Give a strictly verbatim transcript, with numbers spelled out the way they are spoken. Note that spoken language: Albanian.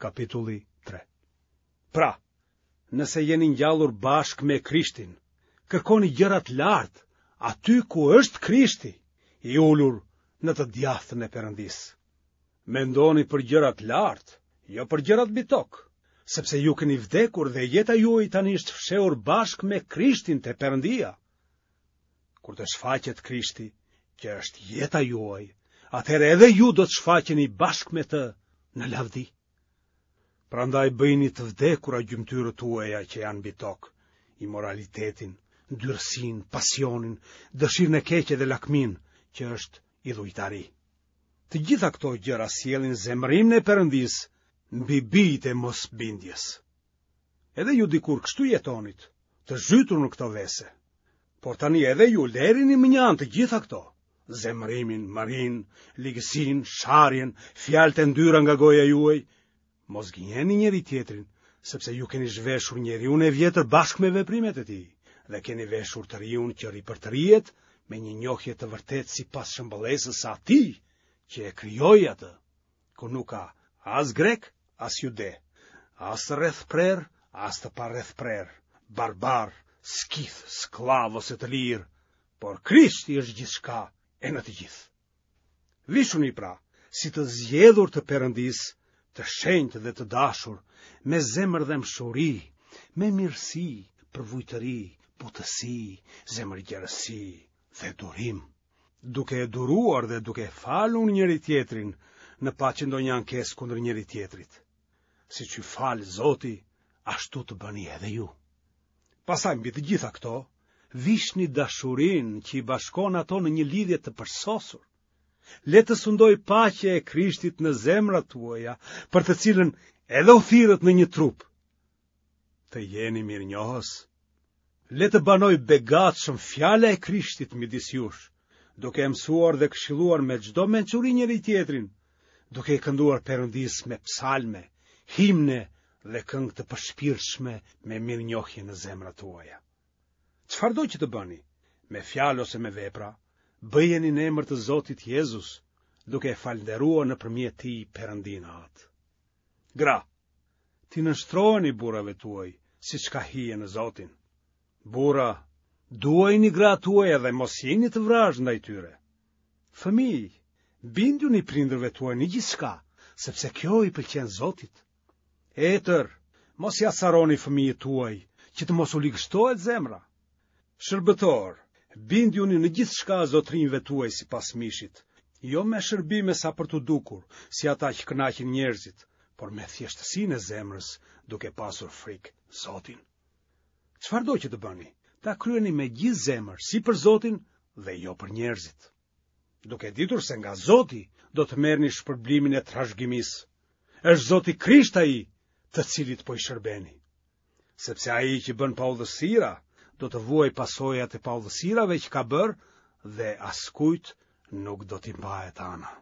Kapitulli tre. Pra, nëse jeni ngjallur bashkë me Krishtin, kërkoni gjërat lart, aty ku është Krishti, i ulur në të djathtën e Perëndisë. Mendoni për gjërat lart, jo për gjërat mbi tokë, sepse ju keni vdekur dhe jeta juaj tani është fshehur bashkë me Krishtin te Perëndia. Kur të shfaqet Krishti, që është jeta juaj, atëherë edhe ju do të shfaqeni bashkë me të në lavdi. Prandaj bëjini të vdekura gjymtyrët tuaja që janë mbi tokë, imoralitetin, ndyrësinë, pasionin, dëshirën e keqe dhe lakminë, që është idhujtari. Të gjitha këto gjëra sjellin zemërimin e Perëndisë mbi bijtë e mosbindjes. Edhe ju dikur kështu jetonit, të zhytur në këto vese. Por tani edhe ju lërini mënjanë të gjitha këto, zemërimin, mërinë, ligësinë, sharjen, fjalët e ndyra nga goja juaj. Mos gënjeni njëri-tjetrin, sepse ju keni zhveshur njeriun e vjetër bashkë me veprimet e tij dhe keni veshur të riun që ripërtërihet me një njohje të vërtetë sipas shëmbëllesës së atij që e krijoi atë, ku nuk ka as grek, as jude, as të rrethprerë, as të parrethprerë, barbar, skith, skllav ose të lirë, por Krishti është gjithçka e në të gjithë. Vishuni pra, si të zgjedhur të Perëndisë, të shenjtë dhe të dashur, me zemërdhembshuri, me mirësi, përvujtëri, butësi, zemërgjerësi dhe durim, duke e duruar dhe duke e falur njëri-tjetrin në paçi ndonjë ankesë kundër njëri-tjetrit. Siç ju fal Zoti, ashtu të bëni edhe ju. Pastaj mbi të gjitha këto, vishni dashurinë që i bashkon ato në një lidhje të përsosur. Le të sundojë paqja e Krishtit në zemrat tuaja, për të cilën edhe u thirrët në një trup. Të jeni mirënjohës. Le të banojë begatshëm fjala e Krishtit midis jush, duke e mësuar dhe këshilluar me çdo mençuri njëri-tjetrin, duke i kënduar Perëndisë me psalme, himne dhe këngë të përshpirtshme me mirënjohje në zemrat tuaja. Çfarëdo që të bëni, me fjalë ose me vepra, bëjeni në emër të Zotit Jezus, duke e falënderuar nëpërmjet tij Perëndinë Atë. Gra, t'i nënshtroheni burrave tuaj, siç ka hije në Zotin. Burra, duajini gratë tuaja dhe mos jini të vrazhdë ndaj tyre. Fëmijë, bindjuni prindërve tuaj në gjithçka, sepse kjo i pëlqen Zotit. Etër, mos i acaroni fëmijët tuaj, që të mos u ligështohet zemra. Shërbëtorë, bindjuni në gjithçka zotërinjve tuaj sipas mishit, jo me shërbime sa për t'u dukur, si ata që kënaqin njerëzit, por me thjeshtësinë e zemrës, duke pasur frikë Zotin. Çfarëdo që të bëni, ta kryeni me gjithë zemër, si për Zotin dhe jo për njerëzit. Duke ditur se nga Zoti do të merrni shpërblimin e trashëgimisë. Është Zoti Krisht ai, të cilit po i shërbeni. Sepse ai që bën paudhësira, do të vuajë pasojat e paudhësirave që ka bërë dhe askujt nuk do t'i mbahet ana.